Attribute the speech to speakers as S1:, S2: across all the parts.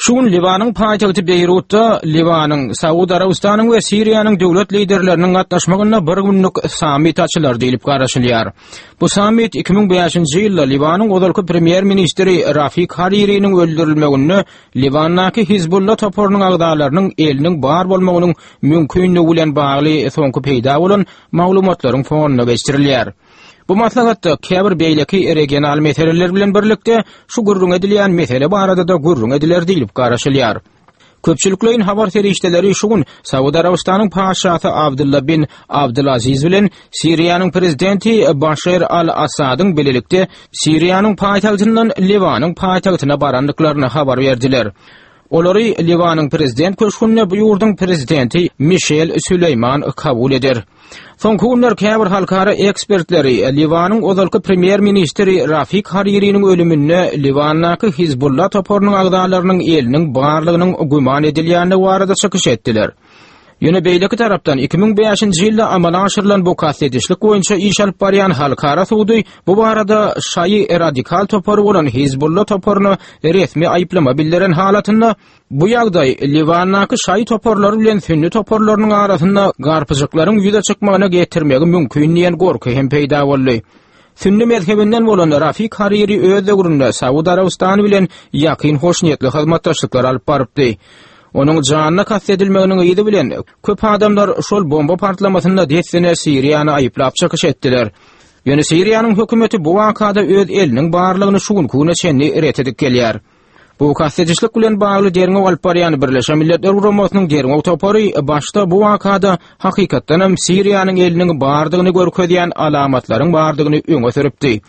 S1: Şu gün Liwanyň paýtagty Beýrutda Liwanyň, Saud Arabystanyň we Siriýanyň döwlet liderleriniň gatnaşmagynda bir günlük sammit açylar diýlip garaşylýar. Bu sammit 2005-nji ýylda Liwanyň ozalky premýer-ministri Rafik Haririniň öldürilmeginde Liwandaky Hizbulla toparynyň agzalarynyň eliniň bar bolmagynyň mümkinligi bilen bagly soňky peýda bolan maglumatlaryň fonunda geçirilýär. Bu maslahatda käbir beýleki regional meseleler bilen birlikde şu gürrüň edilýän mesele barada-da gürrüň ediler diýlip garaşylýar. Köpçülikleýin habar serişdeleri şu gün Saud Arabystanyň patyşasy Abdylla bin Abdylaziz bilen Siriýanyň prezidenti Başer al-Assadyň bilelikde Siriýanyň paýtagtyndan Liwanyň paýtagtyna barandyklaryny habar berdiler. Olary Liwanyň prezident köşgünde bu ýurduň prezidenti Mişel Süleýman kabul eder. Soňky günler käbir halkara ekspertleri Liwanyň ozalky premýer-ministri Rafik Haririniň ölüminde Liwandaky Hizbulla toparynyň agzalarynyň eliniň barlygynyň güman edilýändigi barada çykyş etdiler. Ýöne beýleki tarapdan 2005-nji ýylda amala aşyrylan bu kast edişlik boýunça iş alyp barýan halkara sudy bu barada şaýy radikal topary bolan Hizbulla toparyna resmi aýyplama bildiren halatynda bu ýagdaý Liwandaky şaýy toparlary bilen sünni toparlarynyň arasynda garpyjyklaryň ýüze çykmagyna getirmegi mümkin diýen gorky hem peýda boldy. Sünni mezhebinden bolan Rafik Hariri öz döwründe Saud Arabystany bilen ýakyn hoşniýetli hyzmatdaşlyklar alyp barypdy. Onuň janyna kast edilmeginiň yzy bilen, köp adamlar şol bomba partlamasynda dessine Siriýany aýyplap çykyş etdiler. Ýöne Siriýanyň hökümeti bu wakada öz eliniň barlygyny şu günki güne çenli ret edip gelýär. Bu kast edişlik bilen bagly derňew alyp barýan Birleşen Milletler Guramasynyň derňew topary başda bu wakada hakykatdanam Siriýanyň eliniň bardygyny görkezýän alamatlaryň bardygyny öňe sürüpdi.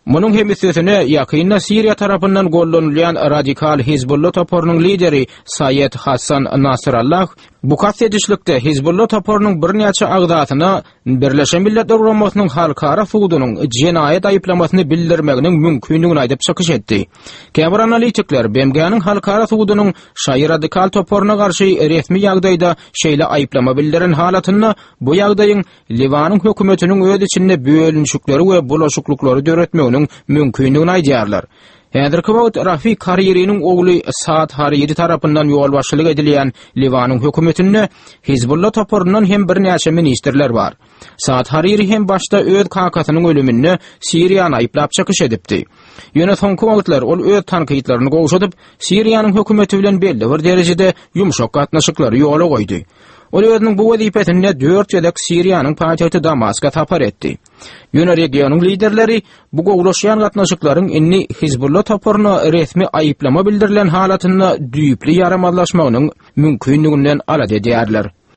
S1: Munuň hem üstesine, ýakynda Siriýa tarapyndan gollanylýan radikal Hizbulla toparynyň lideri Saýed Hassan Nasrallah bu kast edişlikde Hizbulla toparynyň birnäçe agzasyna Birleşen Milletler Guramasynyň Halkara sudunyň jenaýat aýyplamasyny bildirmeginiň mümkindigini aýdyp çykyş etdi. Käbir analitikler BMG-niň Halkara sudunyň şaýy radikal toparyna garşy resmi ýagdaýda şeýle aýyplama bildiren halatynda bu ýagdaýyň Liwanyň hökümetiniň öz içinde bölünişikleri we bulaşyklyklary döretmeginiň mümkindigini aýdýarlar. Häzirki wagt Rafik Haririniň ogly Saad Hariri tarapyndan ýolbaşçylyk edilýän Liwanyň hökümetinde Hizbulla toparyndan hem birnäçe ministrler bar. Saad Hariri hem başda öz kakasynyň ölüminde Siriýany aýyplap çykyş edipdi. Ýöne soňky wagtlar ol öz tankytlaryny gowşadyp, Siriýanyň hökümeti bilen belli bir derejede ýumşak gatnaşyklary ýola goýdy. Ol özüniň bu wezipesinde dört gezek Siriýanyň paýtagty Damaska sapar etdi. Ýöne regionyň liderleri bu gowulaşýan gatnaşyklaryň indi Hizbulla toparyna resmi aýyplama bildirilen halatynda düýpli ýaramazlaşmagynyň mümkindiginden alada edýärler.